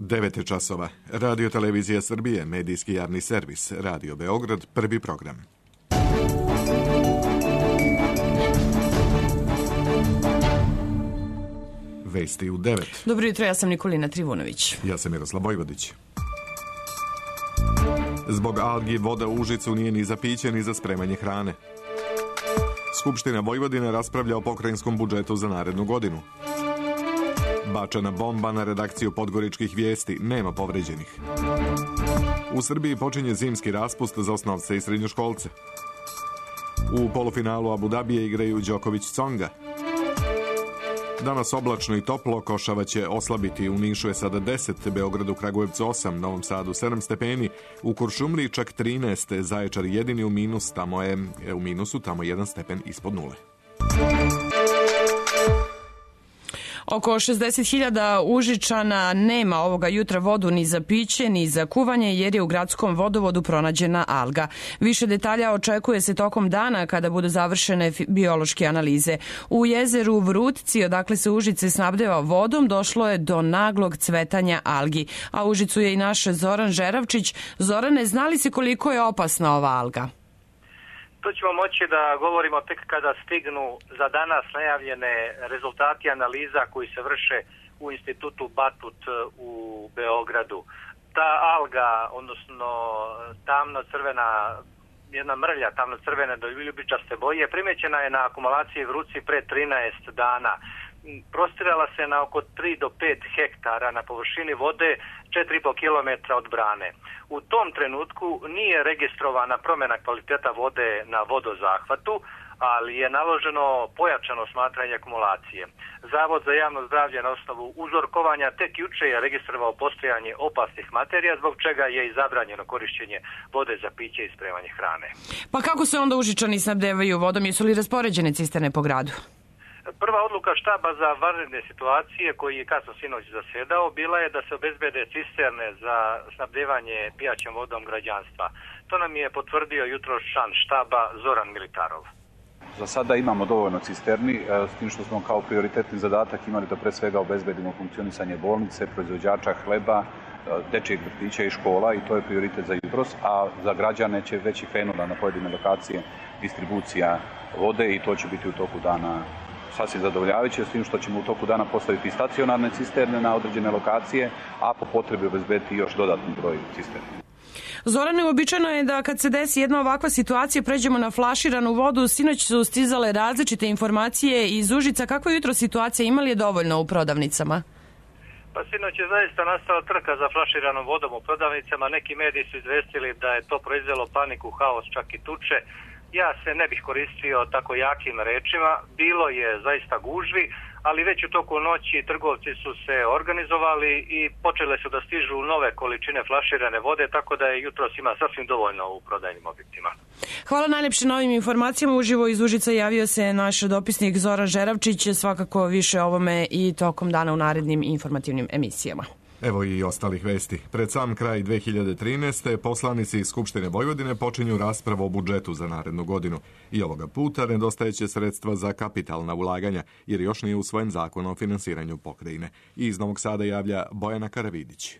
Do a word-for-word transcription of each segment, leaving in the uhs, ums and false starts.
devet je časova. Radio Televizija Srbije, medijski javni servis, Radio Beograd, prvi program. Vesti u devet. Dobro jutro, ja sam Nikolina Trivunović. Ja sam Miroslav Vojvodić. Zbog algi voda u Užicu nije ni za piće ni za spremanje hrane. Skupština Vojvodine raspravlja o pokrajinskom budžetu za narednu godinu. Bačena bomba na redakciju Podgoričkih vijesti, nema povređenih. U Srbiji počinje zimski raspust za osnovce i srednjoškolce. U polufinalu Abu Dabija igraju Đoković-Tsonga. Danas oblačno i toplo, Košava će oslabiti, u Nišu je sada deset, Beogradu, Kragujevcu osam, Novom Sadu sedam stepeni, u Kuršumliji čak trinaest, Zaječar jedini u minus, tamo je u minusu, tamo jedan stepen ispod nule. Oko šezdeset hiljada Užičana nema ovoga jutra vodu ni za piće, ni za kuvanje, jer je u gradskom vodovodu pronađena alga. Više detalja očekuje se tokom dana kada budu završene biološke analize. U jezeru Vrutci, odakle se Užice snabdeva vodom, došlo je do naglog cvetanja algi. A u Užicu je i naš Zoran Žeravčić. Zorane, zna li se koliko je opasna ova alga? To ćemo moći da govorimo tek kada stignu za danas najavljene rezultati analiza koji se vrše u institutu Batut u Beogradu. Ta alga, odnosno tamno-crvena, jedna mrlja tamno-crvene do ljubičaste boje, primećena je na akumulaciji Vrutci pre trinaest dana. Prostirala se na oko tri do pet hektara na površini vode četiri i po kilometra od brane. U tom trenutku nije registrovana promjena kvaliteta vode na vodozahvatu, ali je naloženo pojačano smatranje akumulacije. Zavod za javno zdravlje na osnovu uzorkovanja tek juče je registrovao postojanje opasnih materija, zbog čega je i zabranjeno korišćenje vode za piće i spremanje hrane. Pa kako se onda Užičani snabdevaju vodom? Jesu li raspoređene cisterne po gradu? Prva odluka štaba za vanredne situacije, koji je kasno sinoć zasedao, bila je da se obezbede cisterne za snabdevanje pijaćom vodom građanstva. To nam je potvrdio jutros član štaba Zoran Militarov. Za sada imamo dovoljno cisterni, s tim što smo kao prioritetni zadatak imali da pre svega obezbedimo funkcionisanje bolnice, proizvođača hleba, dečijeg vrtića i škola, i to je prioritet za jutros, a za građane će već i krenula na pojedine lokacije distribucija vode i to će biti u toku dana sasvim zadovoljavajuće, s tim što ćemo u toku dana postaviti stacionarne cisterne na određene lokacije, a po potrebi obezbediti još dodatni broj cisterni. Zorane, uobičajeno je da kad se desi jedna ovakva situacija pređemo na flaširanu vodu. Sinoć su stizale različite informacije iz Užica. Kakva je jutro situacija? Ima li je dovoljno u prodavnicama? Pa sinoć je zaista nastala trka za flaširanom vodom u prodavnicama. Neki mediji su izvestili da je to proizvelo paniku, haos, čak i tuče. Ja se ne bih koristio tako jakim rečima, bilo je zaista gužvi, ali već u toku noći trgovci su se organizovali i počele su da stižu nove količine flaširane vode, tako da je jutros ima sasvim dovoljno u prodajnim objektima. Hvala najlepše na ovim informacijama. Uživo iz Užica javio se naš dopisnik Zoran Žeravčić, svakako više o ovome i tokom dana u narednim informativnim emisijama. Evo i ostalih vesti. Pred sam kraj dve hiljade trinaeste. poslanici iz Skupštine Vojvodine počinju raspravu o budžetu za narednu godinu. I ovoga puta nedostajeće sredstva za kapitalna ulaganja, jer još nije usvojen zakon o finansiranju pokrajine. I iz Novog Sada javlja Bojana Karavidić.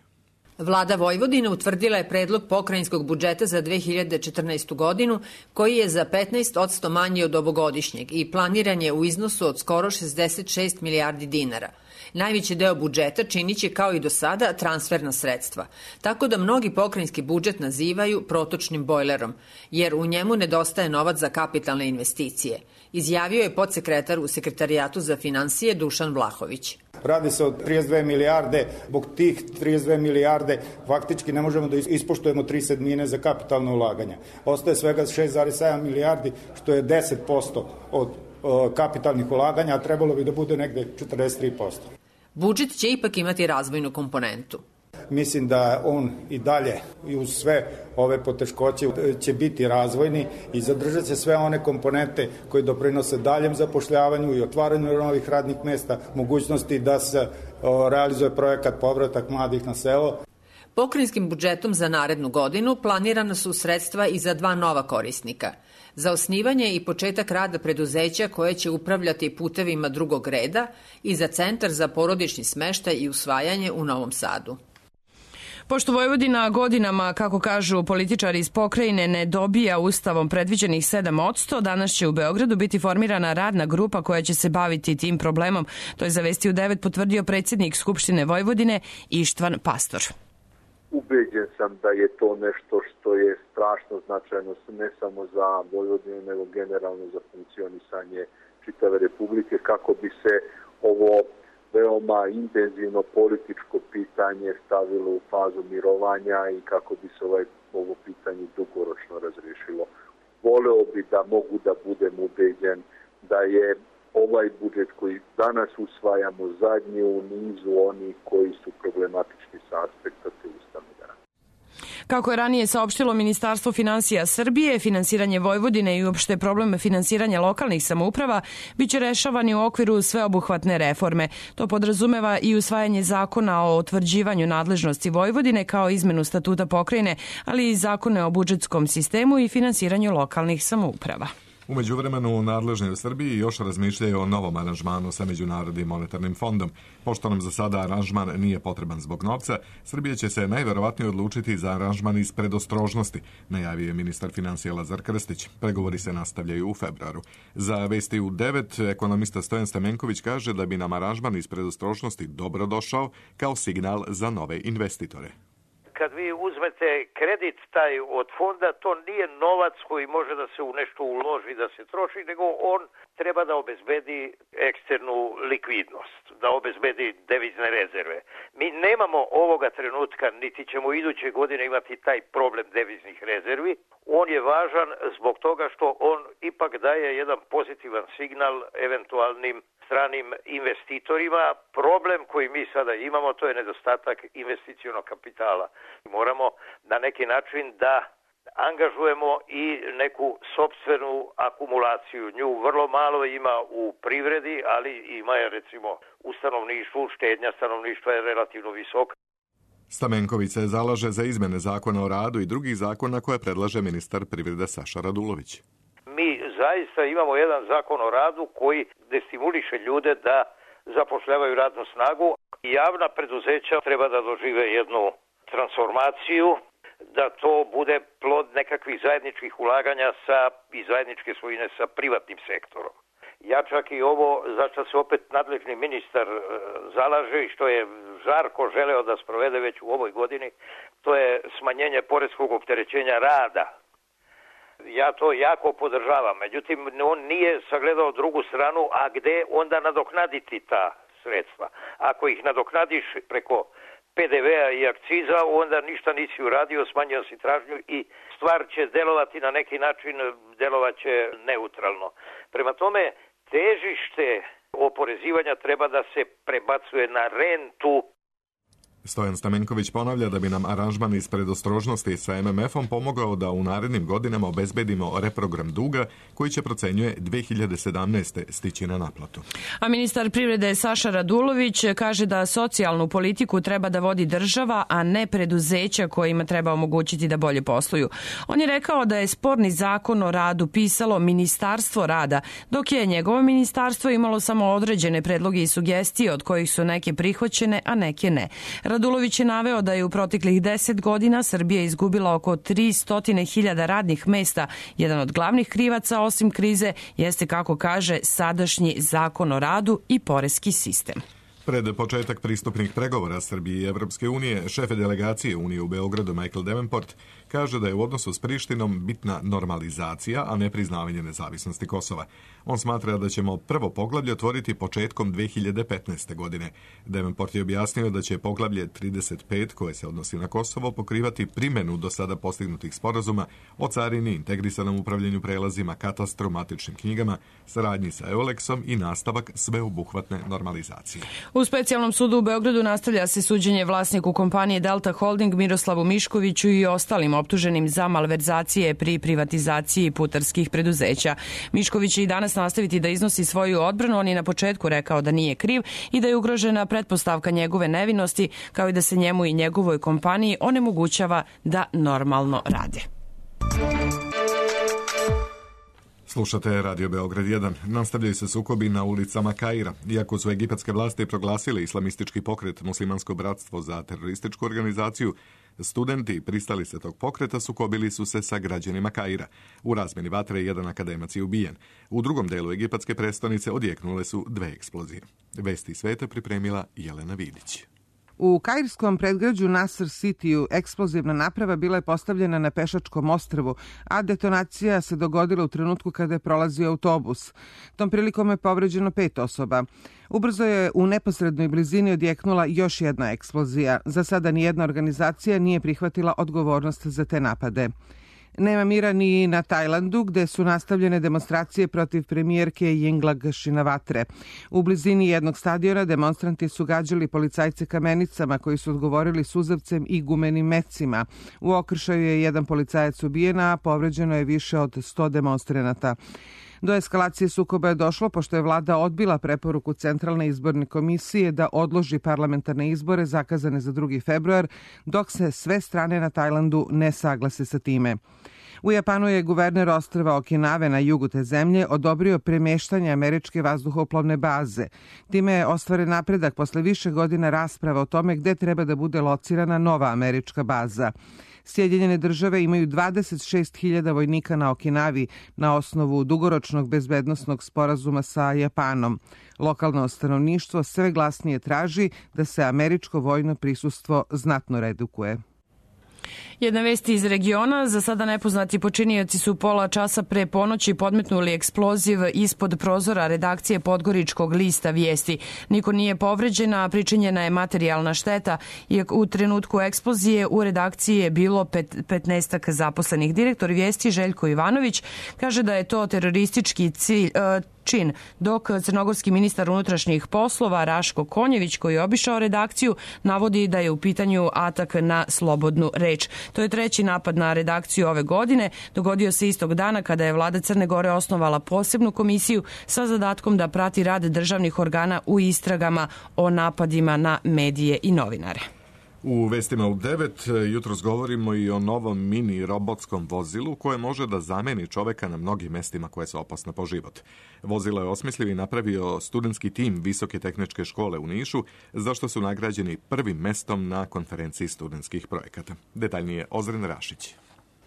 Vlada Vojvodine utvrdila je predlog pokrajinskog budžeta za dve hiljade četrnaestu godinu, koji je za petnaest posto manji od ovogodišnjeg i planiran je u iznosu od skoro šezdeset šest milijardi dinara. Najveći deo budžeta činit će kao i do sada transferna sredstva, tako da mnogi pokrajinski budžet nazivaju protočnim bojlerom, jer u njemu nedostaje novac za kapitalne investicije, izjavio je podsekretar u Sekretarijatu za finansije Dušan Vlahović. Radi se o trideset dve milijarde, zbog tih trideset dve milijarde faktički ne možemo da ispoštujemo tri sedmine za kapitalno ulaganja. Ostaje svega šest zarez sedam milijardi, što je deset posto od kapitalnih ulaganja, a trebalo bi da bude negde četrdeset tri posto. Budžet će ipak imati razvojnu komponentu. Mislim da on i dalje i uz sve ove poteškoće će biti razvojni i zadržat će sve one komponente koje doprinose daljem zapošljavanju i otvaranju novih radnih mesta, mogućnosti da se realizuje projekat povratak mladih na selo. Pokrajinskim budžetom za narednu godinu planirana su sredstva i za dva nova korisnika. Za osnivanje i početak rada preduzeća koje će upravljati putevima drugog reda i za Centar za porodični smeštaj i usvajanje u Novom Sadu. Pošto Vojvodina godinama, kako kažu političari iz pokrajine, ne dobija ustavom predviđenih sedam posto, danas će u Beogradu biti formirana radna grupa koja će se baviti tim problemom. To je za Vesti u devet potvrdio predsjednik Skupštine Vojvodine Ištvan Pastor. Ubeđen sam da je to nešto što je strašno značajno ne samo za Vojvodinu, nego generalno za funkcionisanje čitave Republike, kako bi se ovo veoma intenzivno političko pitanje stavilo u fazu mirovanja i kako bi se ovaj, ovo pitanje dugoročno razrešilo. Voleo bi da mogu da budem ubeđen da je ovaj budžet koji danas usvajamo zadnji u nizu onih koji su problematični sa aspekta te ustavne garancije. Kako je ranije saopštilo Ministarstvo finansija Srbije, finansiranje Vojvodine i uopšte problem finansiranja lokalnih samouprava biće rešavani u okviru sveobuhvatne reforme. To podrazumeva i usvajanje zakona o utvrđivanju nadležnosti Vojvodine kao izmenu statuta pokrajine, ali i zakone o budžetskom sistemu i finansiranju lokalnih samouprava. U međuvremenu, nadležni u Srbiji još razmišljaju o novom aranžmanu sa Međunarodnim monetarnim fondom. Pošto nam za sada aranžman nije potreban zbog novca, Srbija će se najverovatnije odlučiti za aranžman iz predostrožnosti, najavio je ministar finansija Lazar Krstić. Pregovori se nastavljaju u februaru. Za Vesti u devet ekonomista Stojan Stamenković kaže da bi nam aranžman iz predostrožnosti dobro došao kao signal za nove investitore. Kad vi uzmete kredit taj od fonda, to nije novac koji može da se u nešto uloži, da se troši, nego on treba da obezbedi eksternu likvidnost, da obezbedi devizne rezerve. Mi nemamo ovoga trenutka, niti ćemo iduće godine imati taj problem deviznih rezervi. On je važan zbog toga što on ipak daje jedan pozitivan signal eventualnim stranim investitorima. Problem koji mi sada imamo, to je nedostatak investicionog kapitala. Moramo na neki način da angažujemo i neku sopstvenu akumulaciju. Nju vrlo malo ima u privredi, ali ima je recimo u stanovništvu, štednja stanovništva je relativno visoka. Stamenković se zalaže za izmene zakona o radu i drugih zakona koje predlaže ministar privrede Saša Radulović. Mi zaista imamo jedan zakon o radu koji destimuliše ljude da zapošljavaju radnu snagu. Javna preduzeća treba da dožive jednu transformaciju, da to bude plod nekakvih zajedničkih ulaganja sa, i zajedničke svojine sa privatnim sektorom. Ja čak i ovo za što se opet nadležni ministar e, zalaže i što je žarko želeo da sprovede već u ovoj godini, to je smanjenje poreskog opterećenja rada. Ja to jako podržavam, međutim on nije sagledao drugu stranu, a gde onda nadoknaditi ta sredstva. Ako ih nadoknadiš preko P D V-a i akciza, onda ništa nisi uradio, smanjio si tražnju i stvar će delovati na neki način, delovaće neutralno. Prema tome, težište oporezivanja treba da se prebacuje na rentu. Stojan Stamenković ponavlja da bi nam aranžman iz predostrožnosti sa M M F-om pomogao da u narednim godinama obezbedimo reprogram duga koji će, procenjuje, dve hiljade sedamnaeste stići na naplatu. A ministar privrede Saša Radulović kaže da socijalnu politiku treba da vodi država, a ne preduzeća kojima treba omogućiti da bolje posluju. On je rekao da je sporni zakon o radu pisalo Ministarstvo rada, dok je njegovo ministarstvo imalo samo određene predloge i sugestije, od kojih su neke prihvaćene, a neke ne. Radulović je naveo da je u proteklih deset godina Srbija izgubila oko tristo hiljada radnih mesta. Jedan od glavnih krivaca, osim krize, jeste, kako kaže, sadašnji zakon o radu i poreski sistem. Pred početak pristupnih pregovora Srbije i Evropske unije, šefe delegacije Unije u Beogradu Michael Davenport kaže da je u odnosu s Prištinom bitna normalizacija, a ne priznavanje nezavisnosti Kosova. On smatra da ćemo prvo poglavlje otvoriti početkom dve hiljade petnaeste. godine. Davenport je objasnio da će poglavlje trideset pet, koje se odnosi na Kosovo, pokrivati primjenu do sada postignutih sporazuma o carini, integrisanom upravljanju prelazima, katastru, matičnim knjigama, saradnji sa Eulexom i nastavak sveobuhvatne normalizacije. U specijalnom sudu u Beogradu nastavlja se suđenje vlasniku kompanije Delta Holding Miroslavu Miškoviću i ostalim optuženim za malverzacije pri privatizaciji putarskih preduzeća. Mišković će i danas nastaviti da iznosi svoju odbranu. On je na početku rekao da nije kriv i da je ugrožena pretpostavka njegove nevinosti, kao i da se njemu i njegovoj kompaniji onemogućava da normalno rade. Slušate Radio Beograd jedan. Nastavljaju se sukobi na ulicama Kaira. Iako su egipatske vlasti proglasile islamistički pokret Muslimansko bratstvo za terorističku organizaciju, studenti pristali se tog pokreta sukobili su se sa građanima Kaira. U razmeni vatre je jedan akademac je ubijen. U drugom delu egipatske prestonice odjeknule su dve eksplozije. Vesti sveta pripremila Jelena Vidić. U kairskom predgrađu Nasr Cityu eksplozivna naprava bila je postavljena na pešačkom ostrvu, a detonacija se dogodila u trenutku kada je prolazio autobus. Tom prilikom je povređeno pet osoba. Ubrzo je u neposrednoj blizini odjeknula još jedna eksplozija. Za sada nijedna organizacija nije prihvatila odgovornost za te napade. Nema mira ni na Tajlandu, gde su nastavljene demonstracije protiv premijerke Yingluck Shinawatre. U blizini jednog stadiona demonstranti su gađali policajce kamenicama koji su odgovorili suzavcem i gumenim mecima. U okršaju je jedan policajac ubijen, a povređeno je više od sto demonstranata. Do eskalacije sukoba je došlo pošto je vlada odbila preporuku Centralne izborne komisije da odloži parlamentarne izbore zakazane za drugi februar, dok se sve strane na Tajlandu ne saglase sa time. U Japanu je guverner ostrva Okinave na jugu te zemlje odobrio premeštanje američke vazduhoplovne baze. Time je ostvaren napredak posle više godina rasprava o tome gde treba da bude locirana nova američka baza. Sjedinjene države imaju dvadeset šest hiljada vojnika na Okinavi na osnovu dugoročnog bezbednosnog sporazuma sa Japanom. Lokalno stanovništvo sve glasnije traži da se američko vojno prisustvo znatno redukuje. Jedna vest iz regiona. Za sada nepoznati počinioci su pola časa pre ponoći podmetnuli eksploziv ispod prozora redakcije Podgoričkog lista Vijesti. Niko nije povređen, a pričinjena je materijalna šteta. Iako u trenutku eksplozije u redakciji je bilo pet, petnaestak zaposlenih. Direktor Vijesti Željko Ivanović kaže da je to teroristički cilj, čin, dok crnogorski ministar unutrašnjih poslova Raško Konjević, koji je obišao redakciju, navodi da je u pitanju atak na slobodnu reč. To je treći napad na redakciju ove godine. Dogodio se istog dana kada je vlada Crne Gore osnovala posebnu komisiju sa zadatkom da prati rad državnih organa u istragama o napadima na medije i novinare. U vestima u devet jutros govorimo i o novom mini robotskom vozilu koje može da zameni čoveka na mnogim mestima koje su opasne po život. Vozilo je osmislio i napravio studentski tim Visoke tehničke škole u Nišu, za što su nagrađeni prvim mestom na konferenciji studentskih projekata. Detaljnije Ozren Rašić.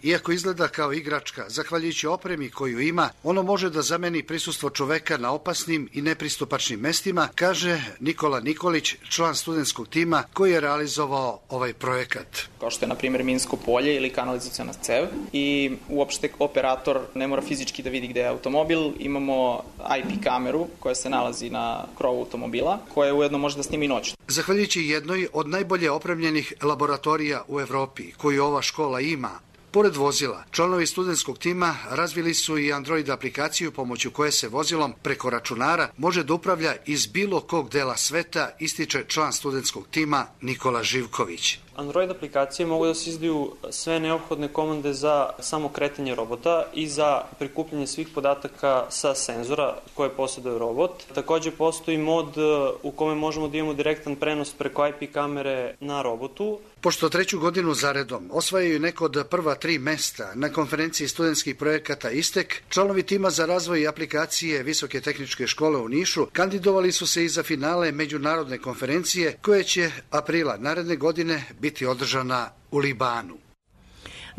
Iako izgleda kao igračka, zahvaljujući opremi koju ima, ono može da zameni prisustvo čoveka na opasnim i nepristupačnim mestima, kaže Nikola Nikolić, član studentskog tima koji je realizovao ovaj projekat. Kao što je, na primjer, minsko polje ili kanalizaciona cev i uopšte operator ne mora fizički da vidi gde je automobil. Imamo I P kameru koja se nalazi na krovu automobila, koja ujedno može da snimi noć. Zahvaljujući jednoj od najbolje opremljenih laboratorija u Evropi koju ova škola ima, pored vozila, članovi studentskog tima razvili su i Android aplikaciju pomoću koje se vozilom preko računara može da upravlja iz bilo kog dela sveta, ističe član studentskog tima Nikola Živković. Android aplikacije mogu da se izdaju sve neophodne komande za samo kretanje robota i za prikupljanje svih podataka sa senzora koje posjeduje robot. Takođe postoji mod u kome možemo da imamo direktan prenos preko I P kamere na robotu. Pošto treću godinu zaredom osvajaju neko od prva tri mesta na konferenciji studentskih projekata Istek, članovi tima za razvoj aplikacije Visoke tehničke škole u Nišu kandidovali su se i za finale međunarodne konferencije koje će aprila naredne godine biti održana u Libanu.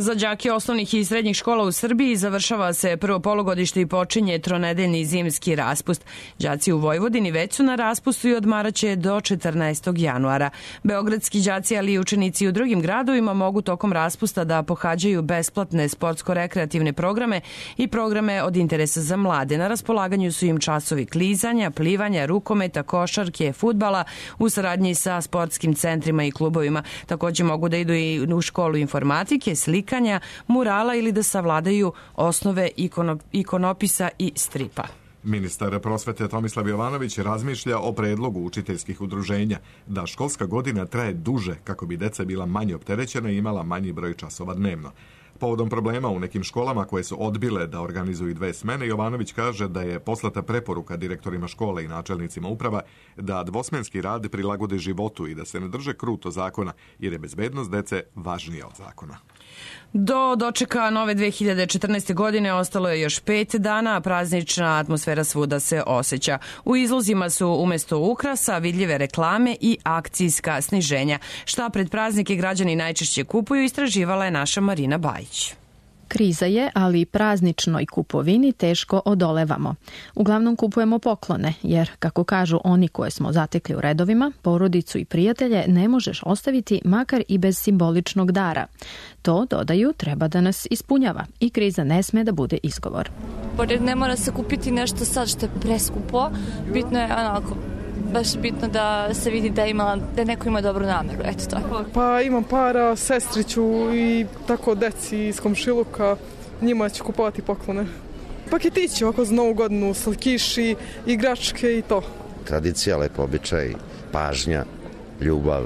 Za đake osnovnih i srednjih škola u Srbiji završava se prvo polugodište i počinje tronedeljni zimski raspust. Đaci u Vojvodini već su na raspustu i odmaraće do četrnaestog januara. Beogradski đaci, ali i učenici u drugim gradovima mogu tokom raspusta da pohađaju besplatne sportsko-rekreativne programe i programe od interesa za mlade. Na raspolaganju su im časovi klizanja, plivanja, rukometa, košarke, fudbala u saradnji sa sportskim centrima i klubovima. Takođe mogu da idu i u školu informatike, slike, murala ili da savladaju osnove ikono, ikonopisa i stripa. Ministar prosvete Tomislav Jovanović razmišlja o predlogu učiteljskih udruženja da školska godina traje duže kako bi deca bila manje opterećena i imala manji broj časova dnevno. Povodom problema u nekim školama koje su odbile da organizuju dve smene, Jovanović kaže da je poslata preporuka direktorima škole i načelnicima uprava da dvosmenski rad prilagode životu i da se ne drže kruto zakona, jer je bezbednost dece važnija od zakona. Do dočeka nove dve hiljade četrnaeste. godine ostalo je još pet dana, a praznična atmosfera svuda se osjeća. U izlozima su umesto ukrasa vidljive reklame i akcijska sniženja. Šta pred praznike građani najčešće kupuju, istraživala je naša Marina Bajić. Kriza je, ali prazničnoj kupovini teško odolevamo. Uglavnom kupujemo poklone, jer, kako kažu oni koje smo zatekli u redovima, porodicu i prijatelje ne možeš ostaviti makar i bez simboličnog dara. To, dodaju, treba da nas ispunjava i kriza ne sme da bude izgovor. Pored ne mora se kupiti nešto sad što je preskupo, bitno je onako baš bitno da se vidi da, ima, da neko ima dobru nameru, eto to. Pa imam para, sestriću i tako deci iz komšiluka, njima ću kupovati poklone. Paketići ovako za novu godinu, slatkiši, igračke i to. Tradicija, lepo običaj, pažnja, ljubav.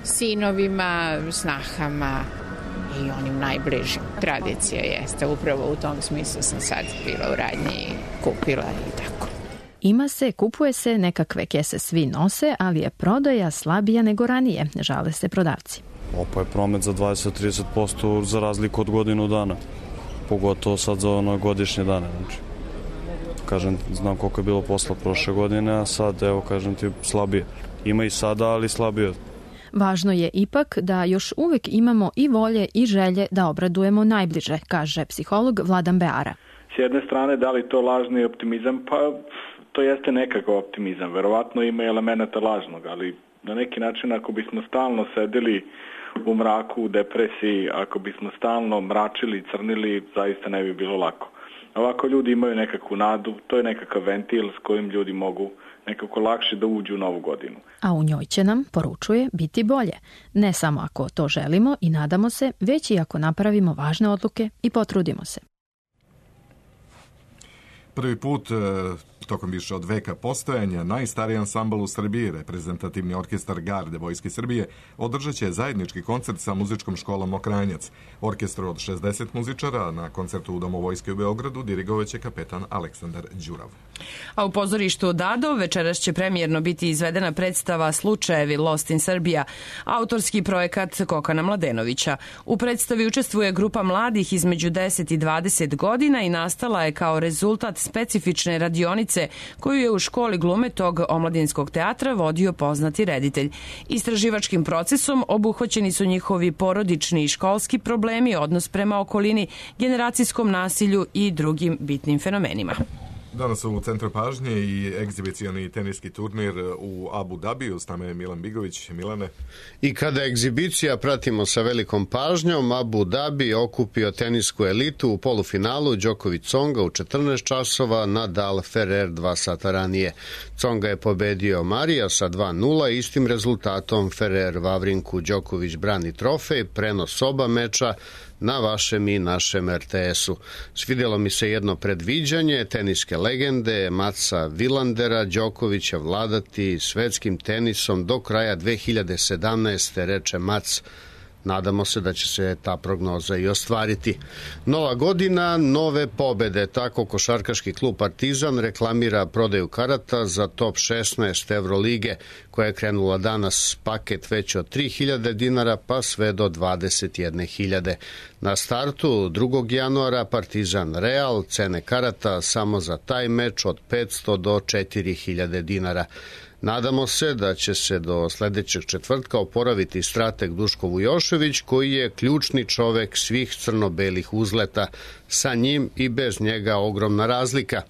Sinovima, snahama i onim najbližim. Tradicija jeste, upravo u tom smislu sam sad bila u radnji i kupila i tako. Ima se, kupuje se, nekakve kese svi nose, ali je prodaja slabija nego ranije, žale se prodavci. Opa je promet za dvadeset do trideset posto za razliku od godinu dana, pogotovo sad za ono godišnje dane. Znači, kažem, znam koliko je bilo posla prošle godine, a sad, evo, kažem ti, slabije. Ima i sada, ali slabije. Važno je ipak da još uvek imamo i volje i želje da obradujemo najbliže, kaže psiholog Vladan Beara. S jedne strane, da li to lažni optimizam? Pa to jeste nekakav optimizam. Verovatno ima elemenata lažnog, ali na neki način ako bismo stalno sedeli u mraku, u depresiji, ako bismo stalno mračili, crnili, zaista ne bi bilo lako. Ovako ljudi imaju nekakvu nadu, to je nekakav ventil s kojim ljudi mogu nekako lakše da uđu u novu godinu. A u njoj će nam, poručuje, biti bolje. Ne samo ako to želimo i nadamo se, već i ako napravimo važne odluke i potrudimo se. Prvi put tokom više od veka postojanja najstariji ansambl u Srbiji, reprezentativni orkestar Garde Vojske Srbije, održat će zajednički koncert sa muzičkom školom Mokranjac. Orkestru od šezdeset muzičara na koncertu u Domu Vojske u Beogradu dirigovaće kapetan Aleksandar Đurav. A u pozorištu Dadov večeras će premijerno biti izvedena predstava Slučajevi Lost in Serbia, autorski projekat Kokana Mladenovića. U predstavi učestvuje grupa mladih između deset i dvadeset godina i nastala je kao rezultat specifične radionice koju je u školi glume tog omladinskog teatra vodio poznati reditelj. Istraživačkim procesom obuhvaćeni su njihovi porodični i školski problemi, odnos prema okolini, generacijskom nasilju i drugim bitnim fenomenima. Danas u centru pažnje i egzibicioni teniski turnir u Abu Dabiju. S nama je Milan Bigović. Milane. I kada egzibicija pratimo sa velikom pažnjom, Abu Dabi okupio tenisku elitu u polufinalu Đoković Tsonga u četrnaest časova, Nadal Ferrer dva sata ranije. Tsonga je pobedio Marija sa dva nula, istim rezultatom Ferrer Vavrinku Đoković brani trofej, prenos oba meča na vašem i našem er te esu. Svidjelo mi se jedno predviđanje teniske legende Matsa Vilandera, Đokovića vladati svetskim tenisom do kraja dve hiljade sedamnaeste. reče Mats. Nadamo se da će se ta prognoza i ostvariti. Nova godina, nove pobede. Tako košarkaški klub Partizan reklamira prodaju karata za top šesnaest Evrolige, koja je krenula danas, paket već od tri hiljade dinara pa sve do dvadeset jedne hiljade. Na startu drugog januara Partizan Real, cene karata samo za taj meč od petsto do četiri hiljade dinara. Nadamo se da će se do sledećeg četvrtka oporaviti strateg Duško Vujošević, koji je ključni čovek svih crno-belih uzleta. Sa njim i bez njega ogromna razlika.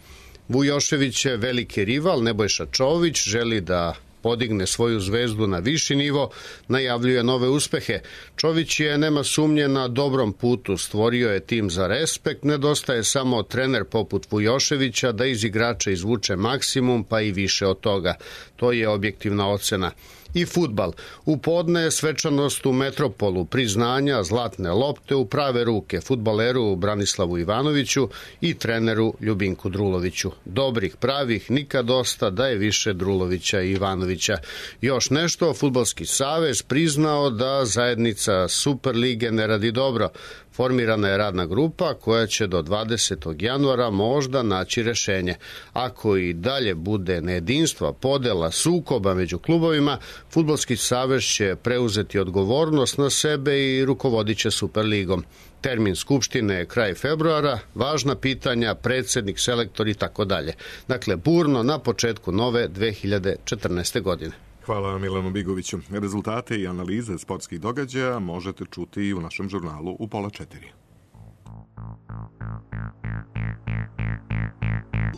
Vujošević je veliki rival, Nebojša Čović želi da podigne svoju zvezdu na viši nivo, najavljuje nove uspehe. Čović je, nema sumnje, na dobrom putu, stvorio je tim za respekt, nedostaje samo trener poput Vujoševića da iz igrača izvuče maksimum, pa i više od toga. To je objektivna ocena. I fudbal. U podne svečanost u Metropolu, priznanja, zlatne lopte u prave ruke fudbaleru Branislavu Ivanoviću i treneru Ljubinku Druloviću. Dobrih, pravih, nikad dosta, da je više Drulovića i Ivanovića. Još nešto, Fudbalski savez priznao da zajednica Superlige ne radi dobro. Formirana je radna grupa koja će do dvadesetog januara možda naći rešenje. Ako i dalje bude nejedinstva, podela, sukoba među klubovima, Fudbalski savez će preuzeti odgovornost na sebe i rukovodit će Superligom. Termin skupštine je kraj februara, važna pitanja, predsednik, selektor i tako dalje. Dakle, burno na početku nove dve hiljade četrnaeste. godine. Hvala Milanu Bigoviću. Rezultate i analize sportskih događaja možete čuti i u našem žurnalu u pola četiri.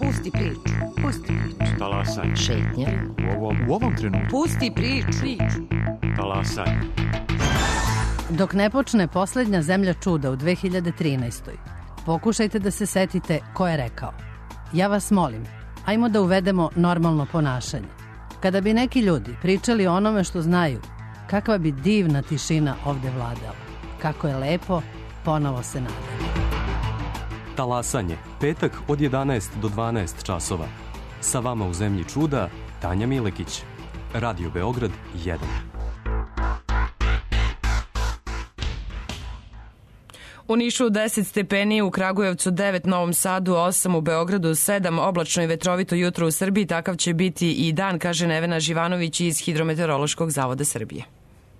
Pusti priču. Pusti priču. Talasaj. Šetnja. U ovom, u ovom trenutku. Pusti priču. priču. Talasaj. Dok ne počne poslednja zemlja čuda u dve hiljade trinaestoj. Pokušajte da se setite ko je rekao. Ja vas molim, ajmo da uvedemo normalno ponašanje. Kada bi neki ljudi pričali o onome što znaju, kakva bi divna tišina ovde vladala. Kako je lepo, ponovo se nadam. Talasanje, petak od jedanaest do dvanaest časova. Sa vama u zemlji čuda, Tanja Milekić. Radio Beograd jedan. U Nišu deset stepeni, u Kragujevcu devet, Novom Sadu osam, u Beogradu sedam, oblačno i vetrovito jutro u Srbiji, takav će biti i dan, kaže Nevena Živanović iz Hidrometeorološkog zavoda Srbije.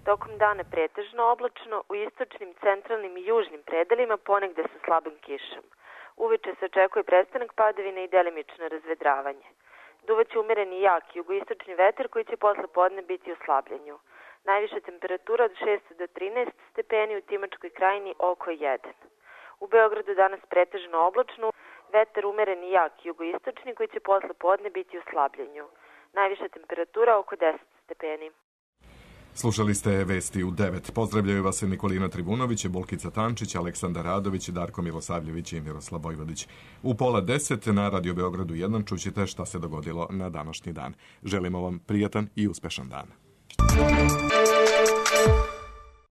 Tokom dana pretežno oblačno, u istočnim, centralnim i južnim predelima ponegde sa slabim kišom. Uveče se očekuje prestanak padavine i delimično razvedravanje. Duvaće umereni jak jugoistočni vetar koji će posle podne biti u slabljenju. Najviša temperatura od šest do trinaest stepeni, u Timočkoj krajini oko jedan. U Beogradu danas pretežno oblačno, vetar umereni jak jugoistočni koji će posle podne biti u slabljenju. Najviša temperatura oko deset stepeni. Slušali ste vesti u devet. Pozdravljaju vas Nikolina Tribunović, Bolkica Tančić, Aleksandar Radović, Darko Milosavljević i Miroslav Vojvodić. U pola deset na Radio Beogradu jedan čućete šta se dogodilo na današnji dan. Želimo vam prijatan i uspešan dan.